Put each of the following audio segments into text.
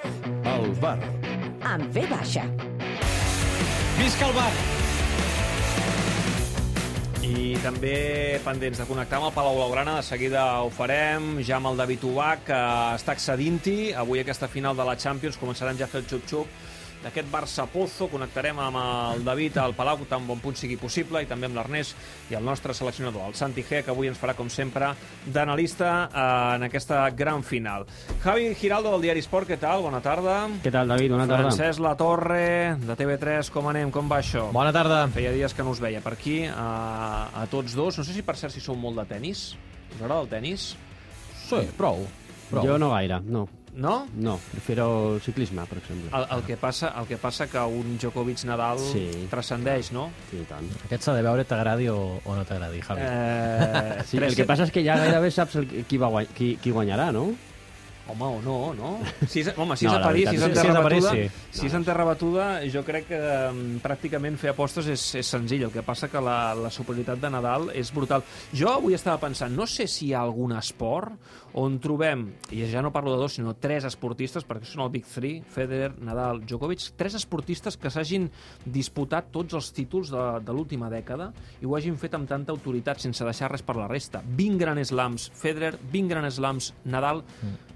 El bar. Amb V baixa. Visca el bar! I també pendents de connectar amb el Palau Blaugrana, de seguida ho farem, ja amb el David Ubach, que està accedint-hi. Avui aquesta final de la Champions començarem ja a fer el xup-xup d'aquest Barça-Pozo. Connectarem amb el David al Palau tan bon punt sigui possible, i també amb l'Ernest i el nostre seleccionador, el Santi G, que avui ens farà, com sempre, d'analista en aquesta gran final. Javi Giraldo, del diari Esport, què tal? Bona tarda. Què tal, David? Bona tarda. Francesc Latorre, de TV3, com anem? Com va això? Bona tarda. Feia dies que no us veia per aquí, a tots dos. No sé si, per cert, si sou molt de tennis. Us agrada el tennis? Sí, prou. Jo no gaire, no. No? No, prefiero ciclisme, per exemple. El que passa que un Djokovic-Nadal transcendeix, no? Sí, tant. Aquest s'ha de veure, t'agradi o no t'agradi, Javi. Sí, el que passa és que ja gairebé saps qui guanyarà, no? Home, o no, no? Si és a París, si és en terra batuda, jo crec que pràcticament fer apostes és senzill. El que passa que la superioritat de Nadal és brutal. Jo avui estava pensant, no sé si hi ha algun esport on trobem, i ja no parlo de dos, sinó tres esportistes, perquè són el Big Three, Federer, Nadal, Djokovic, tres esportistes que s'hagin disputat tots els títols de l'última dècada i ho hagin fet amb tanta autoritat, sense deixar res per la resta. 20 Grand Slams Federer, 20 Grand Slams Nadal,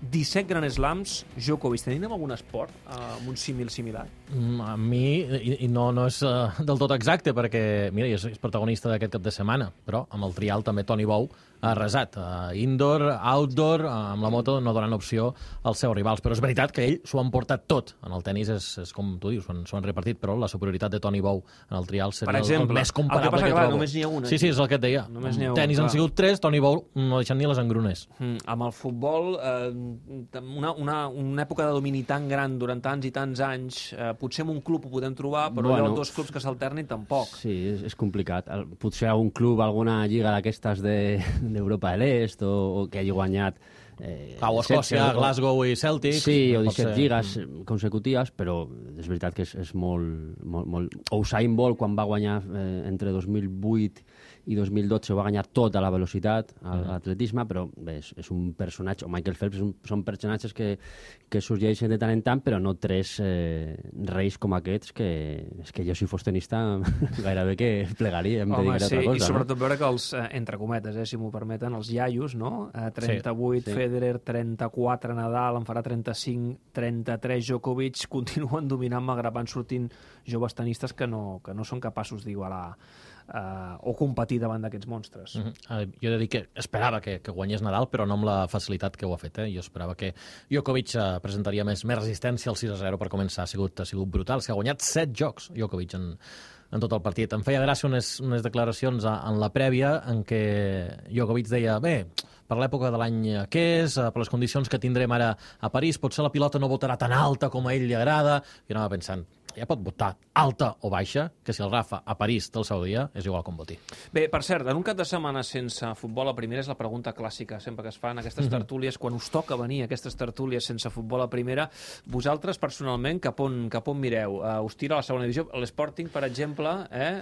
17 Grand Slams Djokovic. Tenim algun esport amb un símil similar? A mi, i no és del tot exacte, perquè, mira, és protagonista d'aquest cap de setmana, però amb el trial també Toni Bou ha arrasat. Indoor, outdoor, amb la moto no donen opció als seus rivals. Però és veritat que ell s'ho han portat tot. En el tenis és com tu dius, s'ho han repartit, però la superioritat de Toni Bou en el trial seria el més comparable que trobo. Només n'hi ha una. Sí, és el que et deia. Tenis han sigut 3, Toni Bou no deixant ni les engrunes. Amb el futbol, una època de domini tan gran durant tants i tants anys, potser en un club ho podem trobar, però hi ha dos clubs que s'alternin tampoc. Sí, és complicat. Potser a un club, alguna lliga d'aquestes d'Europa de l'Est o que hagi guanyat o Escòcia, Glasgow i Celtic. Sí, o 17 lligues consecutives, però és veritat que és molt... Usain Bolt, quan va guanyar entre 2008 i 2012, va guanyar tota la velocitat a l'atletisme, però bé, és un personatge, o Michael Phelps, són personatges que sorgeixen de tant en tant, però no tres reis com aquests, que és que jo, si fos tenista, gairebé que plegaria, em dedicaria a altra cosa. I sobretot veure que els, entre cometes, si m'ho permeten, els iaios, no? 38 Federer, 34 Nadal, en farà 35, 33 Djokovic, continuen dominant, malgrat van sortint joves tenistes que no són capaços d'igualar o competir davant d'aquests monstres. Jo he de dir que esperava que guanyés Nadal, però no amb la facilitat que ho ha fet. Jo esperava que Djokovic presentaria més resistència al 6-0 per començar. Ha sigut brutal. Ha guanyat 7 jocs Djokovic en tot el partit. Em feia gràcia unes declaracions en la prèvia en què Djokovic deia, bé, per l'època de l'any que és, per les condicions que tindrem ara a París, potser la pilota no votarà tan alta com a ell li agrada. I anava pensant, ja pot votar alta o baixa, que si el Rafa a París té el seu dia, és igual com voti. Bé, per cert, en un cap de setmana sense futbol a primera és la pregunta clàssica, sempre que es fan aquestes tertúlies, quan us toca venir a aquestes tertúlies sense futbol a primera, vosaltres personalment cap on mireu? Us tira a la segona divisió? L'Sporting, per exemple?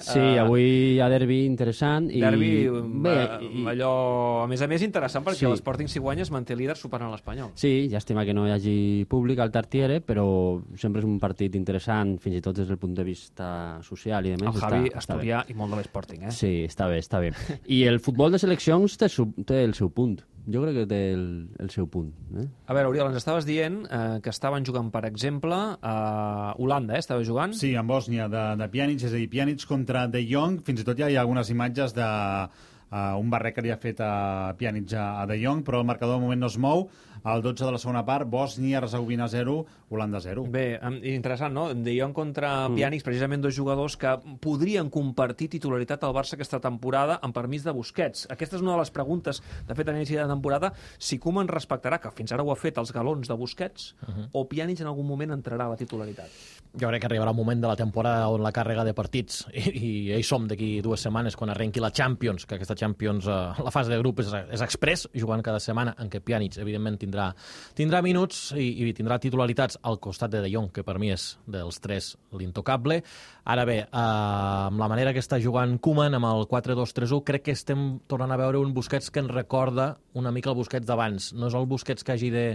Sí, avui hi ha derbi interessant. Derbi, allò, a més interessant, perquè l'Sporting, si guanya, es manté líder superant l'Espanyol. Sí, llàstima que no hi hagi públic al Tartiere, però sempre és un partit interessant, fins i tot des del punt de vista social i demés. El Javi estudia i molt de l'Sporting, Sí, està bé. I el futbol de seleccions té el seu punt. Jo crec que té el seu punt. A veure, Oriol, ens estaves dient que estaven jugant, per exemple, a Holanda, estava jugant? Sí, en Bòsnia, de Pjanic, és a dir, Pjanic contra De Jong. Fins i tot ja hi ha algunes imatges de un barret que li ha fet a Pjanic a De Jong, però el marcador de moment no es mou. Al 12 de la segona part, Bòsnia-Hercegovina 0, Holanda 0. Bé, interessant, no? De Jong contra Pjanic, precisament dos jugadors que podrien compartir titularitat al Barça aquesta temporada amb permís de Busquets. Aquesta és una de les preguntes, de fet, a l'inici de temporada, si Koeman respectarà, que fins ara ho ha fet, els galons de Busquets, o Pjanic en algun moment entrarà a la titularitat. Jo crec que arribarà un moment de la temporada on la càrrega de partits, i hi som d'aquí 2 setmanes, quan arrenqui la Champions, que aquesta Champions, la fase de grup és express, jugant cada setmana, en què Pjanic, evidentment, tindrà minuts i tindrà titularitats al costat de Jong, que per mi és dels 3 l'intocable. Ara bé, amb la manera que està jugant Koeman, amb el 4-2-3-1, crec que estem tornant a veure un Busquets que ens recorda una mica el Busquets d'abans. No és el Busquets que hagi de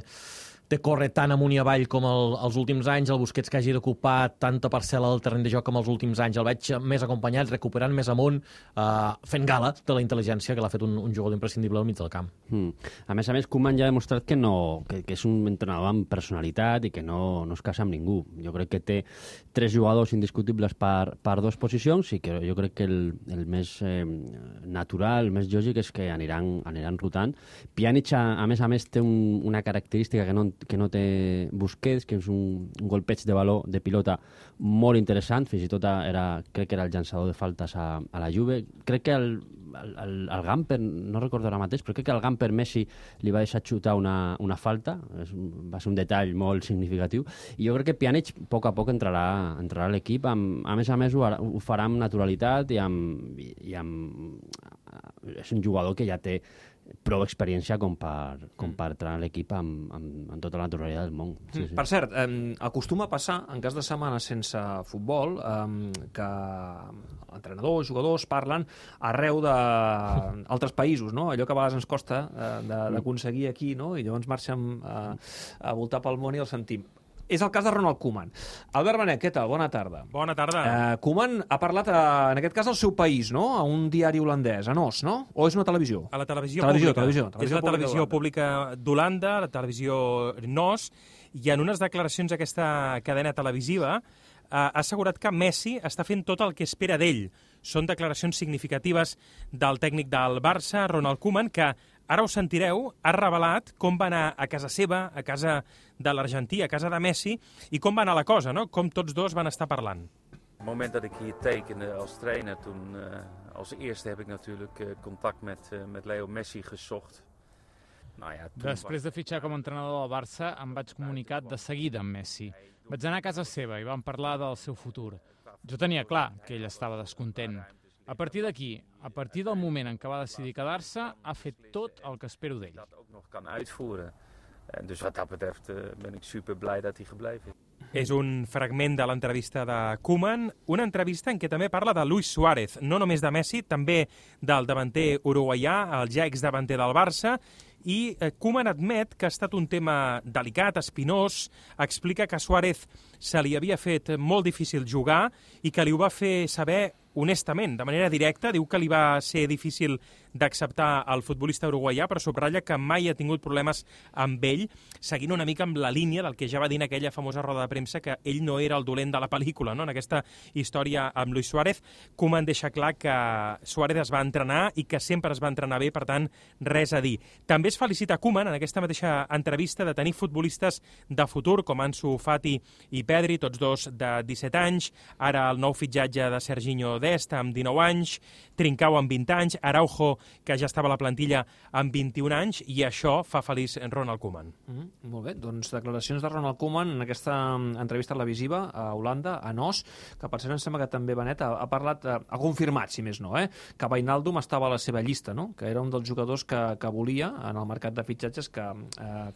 de córrer tan amunt i avall com els últims anys, el Busquets que hagi d'ocupar tanta parcel·la del terreny de joc com els últims anys, el veig més acompanyat, recuperant més amunt, fent gala de la intel·ligència que l'ha fet un jugador imprescindible al mig del camp. A més, Koeman ja ha demostrat que és un entrenador amb personalitat i que no es casa amb ningú. Jo crec que té 3 jugadors indiscutibles per 2 posicions i que jo crec que el més natural, el més lògic és que aniran rotant. Pjanic, a més, té una característica que no té Busquets, que és un golpeig de baló de pilota molt interessant, fins i tot crec que era el llançador de faltes a la Juve. Crec que el Gamper, no recordo ara mateix, però crec que el Gamper Messi li va deixar xutar una falta, va ser un detall molt significatiu, i jo crec que Pjanic a poc entrarà a l'equip, a més ho farà amb naturalitat i és un jugador que ja té prou experiència com per entrar a l'equip amb tota la naturalitat del món. Sí. Per cert, acostuma a passar, en cas de setmana sense futbol, que entrenadors, jugadors parlen arreu d'altres països, no? Allò que a vegades ens costa d'aconseguir aquí, no? I llavors marxem a voltar pel món i el sentim. És el cas de Ronald Koeman. Albert Benet, què tal? Bona tarda. Bona tarda. Koeman ha parlat, en aquest cas, al seu país, no? A un diari holandès, a NOS, no? O és una televisió? A la televisió pública. És la televisió pública d'Holanda, la televisió NOS, i en unes declaracions d'aquesta cadena televisiva ha assegurat que Messi està fent tot el que espera d'ell. Són declaracions significatives del tècnic del Barça, Ronald Koeman, que ara ho sentireu, ha revelat com va anar a casa seva, a casa de l'Argentí, a casa de Messi, i com va anar la cosa, no? Com tots dos van estar parlant. Op het moment dat ik hier tekende als trainer, toen als eerste heb ik natuurlijk contact met Leo Messi gezocht. Després de fitxar com a entrenador del Barça, em vaig comunicar de seguida amb Messi. Vaig anar a casa seva i vam parlar del seu futur. Jo tenia clar que ell estava descontent. A partir d'aquí, a partir del moment en què va decidir quedar-se, ha fet tot el que espero d'ell. Dus wat dat betreft ben ik super blij dat hij gebleven is. És un fragment de l'entrevista de Koeman, una entrevista en què també parla de Luis Suárez, no només de Messi, també del davanter uruguaià, el ja exdavanter del Barça, i Koeman admet que ha estat un tema delicat, espinós, explica que a Suárez se li havia fet molt difícil jugar i que li ho va fer saber honestament, de manera directa. Diu que li va ser difícil d'acceptar el futbolista uruguaià, però subratlla que mai ha tingut problemes amb ell, seguint una mica amb la línia del que ja va dir en aquella famosa roda de premsa, que ell no era el dolent de la pel·lícula, no? En aquesta història amb Luis Suárez. Koeman deixa clar que Suárez es va entrenar i que sempre es va entrenar bé, per tant, res a dir. També es felicita Koeman, en aquesta mateixa entrevista, de tenir futbolistes de futur, com Ansu Fati i Pedri, tots dos de 17 anys, ara el nou fitxatge de Serginho Dest, amb 19 anys, Trincao amb 20 anys, Araujo, que ja estava a la plantilla amb 21 anys, i això fa feliç Ronald Koeman. Molt bé, doncs declaracions de Ronald Koeman en aquesta entrevista televisiva a Holanda, a NOS, que per cert em sembla que també Benet ha parlat, ha confirmat, si més no, que Wijnaldum estava a la seva llista, no? Que era un dels jugadors que volia en el mercat de fitxatges, que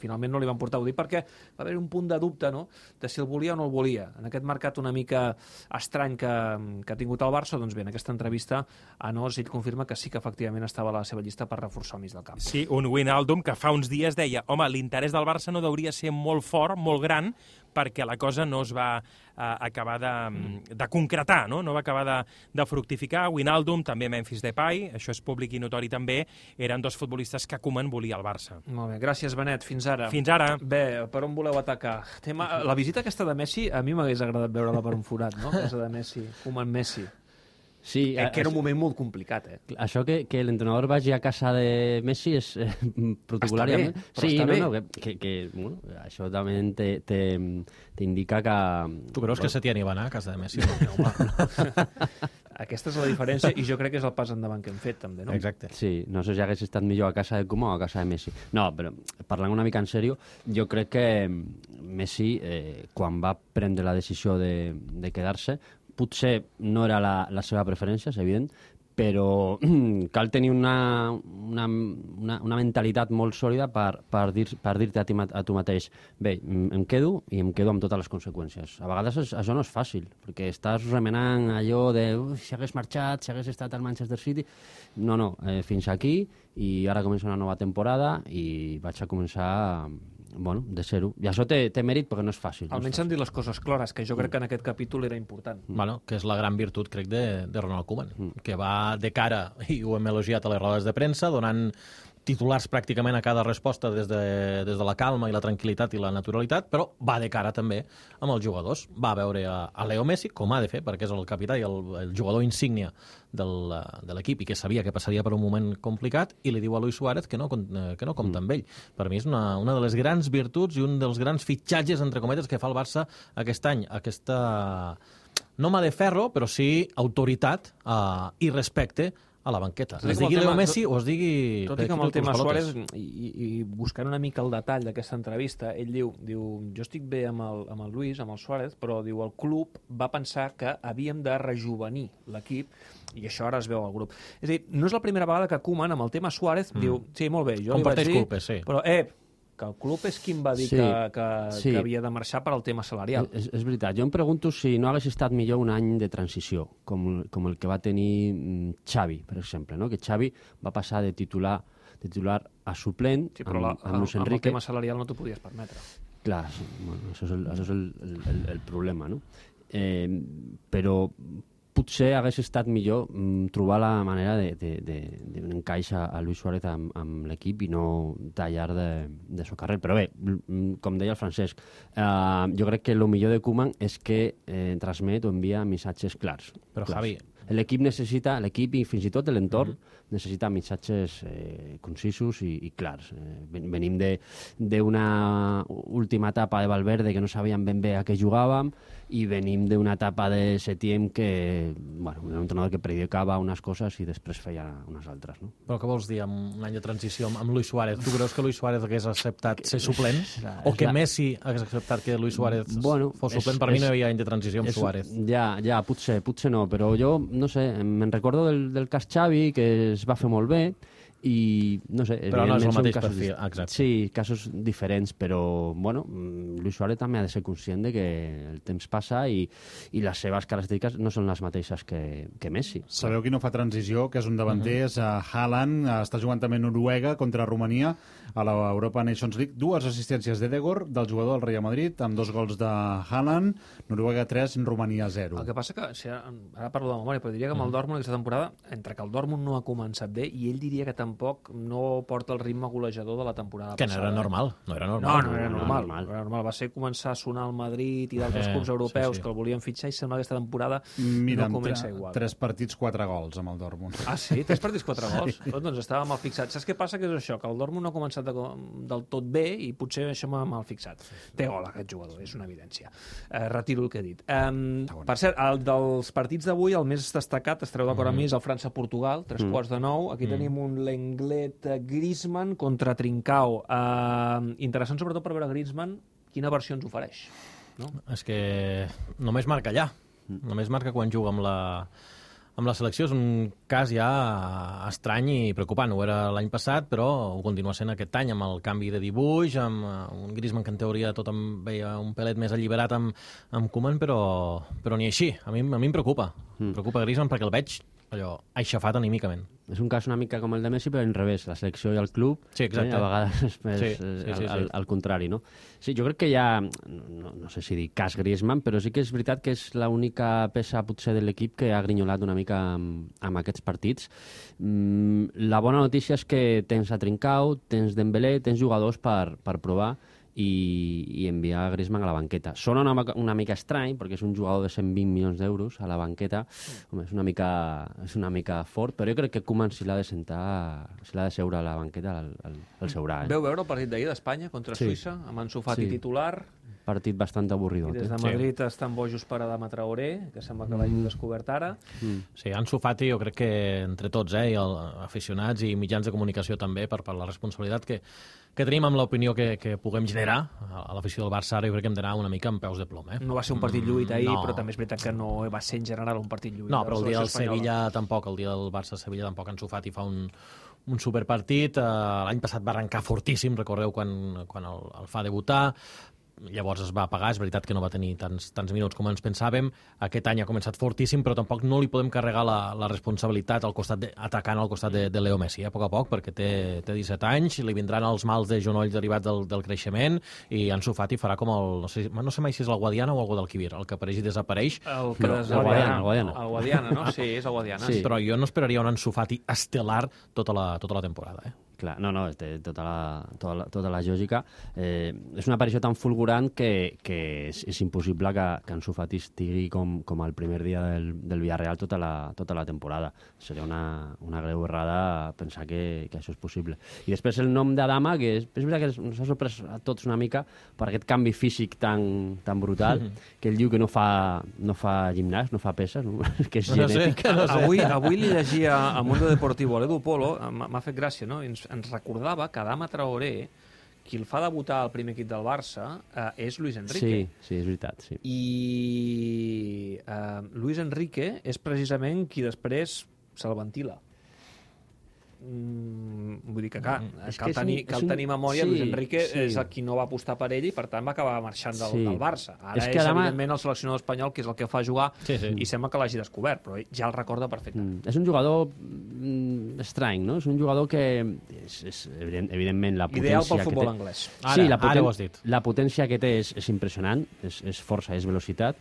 finalment no li van portar a dir, perquè va haver un punt de dubte, no?, de si el volia o no el volia. En aquest mercat una mica estrany que ha tingut el Barça, doncs bé, en aquesta entrevista a NOS ell confirma que sí que efectivament estava a la seva llista per reforçar el mig del camp. Sí, un Wijnaldum que fa uns dies deia, home, l'interès del Barça no hauria ser molt fort, molt gran, perquè la cosa no es va acabar de concretar, no? No va acabar de fructificar. Wijnaldum, també Memphis Depay, això és públic i notori també, eren dos futbolistes que Koeman volia al Barça. Molt bé, gràcies Benet, fins ara. Fins ara. Bé, per on voleu atacar? La visita aquesta de Messi, a mi m'hagués agradat veure-la per un forat, no? Casa de Messi, Koeman Messi. Sí, que era un moment molt complicat, Això que l'entrenador vagi a casa de Messi és protocolàriament... Està bé, bueno, això també t'indica que... Tu creus que Setién hi va anar a casa de Messi? Aquesta és la diferència i jo crec que és el pas endavant que hem fet, també, no? Exacte. Sí, no sé si hagués estat millor a casa de Koeman o a casa de Messi. No, però parlant una mica en sèrio, jo crec que Messi, quan va prendre la decisió de quedar-se, potser no era la seva preferència, és evident, però cal tenir una mentalitat molt sòlida per dir-te a tu mateix, bé, em quedo i em quedo amb totes les conseqüències. A vegades això no és fàcil, perquè estàs remenant allò de si hagués marxat, si hagués estat al Manchester City... No, fins aquí, i ara comença una nova temporada i vaig a començar de ser-ho. I això té mèrit perquè no és fàcil. Almenys han dit les coses clares, que jo crec que en aquest capítol era important. Bueno, que és la gran virtut, crec, de Ronald Koeman, que va de cara, i ho hem elogiat a les rodes de premsa, donant titulars pràcticament a cada resposta des de la calma i la tranquil·litat i la naturalitat, però va de cara també amb els jugadors. Va veure a Leo Messi, com ha de fer, perquè és el capità i el jugador insígnia de l'equip i que sabia que passaria per un moment complicat, i li diu a Luis Suárez que no compta amb ell. Per mi és una de les grans virtuts i un dels grans fitxatges, entre cometes, que fa el Barça aquest any. Aquesta, no mà de ferro, però sí autoritat i respecte a la banqueta. Es digui Leo Messi o es digui... Tot i que amb el tema Suárez, i buscant una mica el detall d'aquesta entrevista, ell diu, jo estic bé amb el Luis, amb el Suárez, però diu el club va pensar que havíem de rejuvenir l'equip, i això ara es veu al grup. És a dir, no és la primera vegada que Koeman, amb el tema Suárez, diu, sí, molt bé, jo li vaig dir... culpes, sí. Però, que el club és qui em va dir que havia de marxar per al tema salarial. És veritat. Jo em pregunto si no hagués estat millor un any de transició, com el que va tenir Xavi, per exemple, no? Que Xavi va passar de titular a suplent amb Luis Enrique. Amb el tema salarial no t'ho podies permetre. Clar, bueno, això és el problema, no? Però potser hagués estat millor trobar la manera d'un encaix a Luis Suárez amb l'equip i no tallar de so carrer. Però bé, com deia el Francesc, jo crec que el millor de Koeman és que transmet o envia missatges clars. Però, Javi... L'equip i fins i tot l'entorn necessita missatges concisos i clars. Venim d'una última etapa de Valverde que no sabíem ben bé a què jugàvem i venim d'una etapa de Setién que, bueno, un entrenador que predicava unes coses i després feia unes altres, no? Però què vols dir amb un any de transició amb Luis Suárez? Tu creus que Luis Suárez hagués acceptat ser suplent? O que Messi hagués acceptat que Luis Suárez fos suplent? Per mi no hi havia any de transició amb Suárez. Ja, potser no, però jo no sé, me'n recordo del cas Xavi, que es va fer molt bé, i no sé... Però no és el mateix perfil, exacte. Sí, casos diferents, però, bueno, Luis Suárez també ha de ser conscient de que el temps passa i les seves característiques no són les mateixes que Messi. Sabeu qui no fa transició, que és un davanter, és Haaland, està jugant també Noruega contra Romania a l'Europa Nations League. 2 assistències d'Edegor, del jugador del Real Madrid, amb 2 gols de Haaland, Noruega 3, Romania 0. El que passa que, ara parlo de memòria, però diria que amb el Dortmund aquesta temporada, entre que el Dortmund no ha començat bé i ell diria que tampoc no porta el ritme golejador de la temporada passada. Que no era normal. No era normal. Va ser començar a sonar al Madrid i d'altres clubs europeus que el volien fitxar i sembla que aquesta temporada no comença igual. 3 partits, 4 gols amb el Dortmund. Ah, sí? 3 partits, 4 gols? Doncs estava mal fixat. Saps què passa? Que és això, que el Dortmund no ha començat del tot bé i potser això m'ha mal fixat. Té gol aquest jugador, és una evidència. Retiro el que he dit. Per cert, dels partits d'avui, el més destacat, estareu d'acord amb mi, és el França-Portugal, 8:45. Aquí tenim un Lenglet Griezmann contra Trincao. Interessant sobretot per veure Griezmann quina versió ens ofereix. No? És que només marca allà. Només marca quan juga amb la selecció. És un cas ja estrany i preocupant. Ho era l'any passat, però ho continua sent aquest any, amb el canvi de dibuix, amb un Griezmann que en teoria tot em veia un pelet més alliberat amb Koeman, però ni així. A mi em preocupa. Em preocupa Griezmann perquè el veig allò aixafat anímicament. És un cas una mica com el de Messi, però en revés, la selecció i el club, sí, exacte. A vegades és al contrari, no? Sí, jo crec que hi ha, no sé si dir cas Griezmann, però sí que és veritat que és l'única peça potser de l'equip que ha grinyolat una mica amb aquests partits. La bona notícia és que tens a Trincao, tens Dembélé, tens jugadors per provar i enviar Griezmann a la banqueta. Sona una mica estrany, perquè és un jugador de 120 milions d'euros a la banqueta. Home, és una mica fort, però jo crec que Koeman, si l'ha de seure a la banqueta, el seurà. Veu veure el partit d'ahir d'Espanya contra Suïssa, amb Ansu Fati titular? Partit bastant avorridot. I des de Madrid estan bojos per Adama Traoré, que sembla que l'hagin descobert ara. Sí, Ansu Fati jo crec que entre tots, i aficionats i mitjans de comunicació també, per la responsabilitat que tenim amb l'opinió que puguem generar a l'afició del Barça, ara jo crec que hem d'anar una mica amb peus de plom. No va ser un partit lluit ahir, però també és veritat que no va ser en general un partit lluit. No, però el dia del Sevilla tampoc, el dia del Barça-Sevilla tampoc Ansu Fati fa un superpartit. L'any passat va arrencar fortíssim, recordeu quan el fa debutar. llavors es va apagar, és veritat que no va tenir tants minuts com ens pensàvem, aquest any ha començat fortíssim, però tampoc no li podem carregar la responsabilitat atacant al costat de Leo Messi, a poc, perquè té 17 anys, li vindran els mals de genoll derivats del creixement, i Ansu Fati farà com no sé mai si és el Guadiana o el Guadalquivir, el que apareix i desapareix. El Guadiana, no? Sí, és el Guadiana. Sí. Però jo no esperaria un Ansu Fati estel·lar tota la temporada, Clar, no, té tota la lògica. És una aparició tan fulgurant que és impossible que Ansu Fati estigui com el primer dia del Villarreal tota la temporada. Seria una greu errada pensar que això és possible. I després el nom d'Adama, que és veritat que ens ha sorprès a tots una mica per aquest canvi físic tan brutal, que ell diu que no fa gimnàs, no fa peses, no? Que és genètica. No sé. Avui li llegia a Mundo Deportivo l'Edu Polo, m'ha fet gràcia, no? Ens recordava que Adama Traoré, qui el fa debutar al primer equip del Barça, és Luis Enrique. Sí, és veritat. Sí. I Luis Enrique és precisament qui després se'l ventila. Vull dir que cal tenir memòria. Luis Enrique és el qui no va apostar per ell i per tant va acabar marxant del Barça. Ara és evidentment el seleccionador espanyol que és el que fa jugar i sembla que l'hagi descobert, però ell ja el recorda perfectament. És un jugador estrany, no? És un jugador que és evidentment la potència ideal pel futbol anglès. Ara ho has dit. La potència que té és impressionant, és força, és velocitat,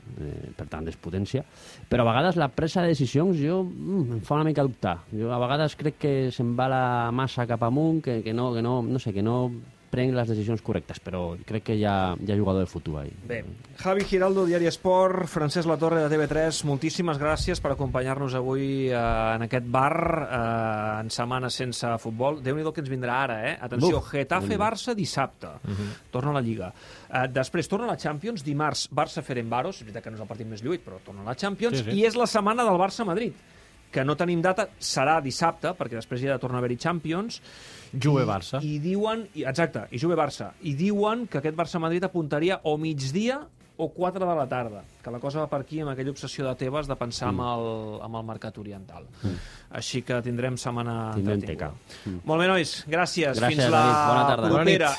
per tant és potència, però a vegades la presa de decisions em fa una mica dubtar. Jo a vegades crec que se'n va la massa cap amunt, que no prenc les decisions correctes, però crec que hi ha jugador de futur ahí. Bé, Javi Giraldo, Diari Esport, Francesc Latorre de TV3, moltíssimes gràcies per acompanyar-nos avui en aquest bar en setmana sense futbol. Déu-n'hi-do que ens vindrà ara, Atenció, Getafe-Barça dissabte. Torna a la Lliga. Després torna a la Champions, dimarts Barça-Ferencváros, és veritat que no és el partit més lluït, però torna a la Champions, i és la setmana del Barça-Madrid, que no tenim data, serà dissabte, perquè després hi ha de tornar a haver-hi Champions. Juve-Barça. I diuen, exacte, i Juve-Barça. I diuen que aquest Barça-Madrid apuntaria o migdia o 4 de la tarda, que la cosa va per aquí amb aquella obsessió de Tebas de pensar amb el mercat oriental. Així que tindrem setmana... Tindrem teca. Molt bé, nois, gràcies. Fins la bona tarda. propera.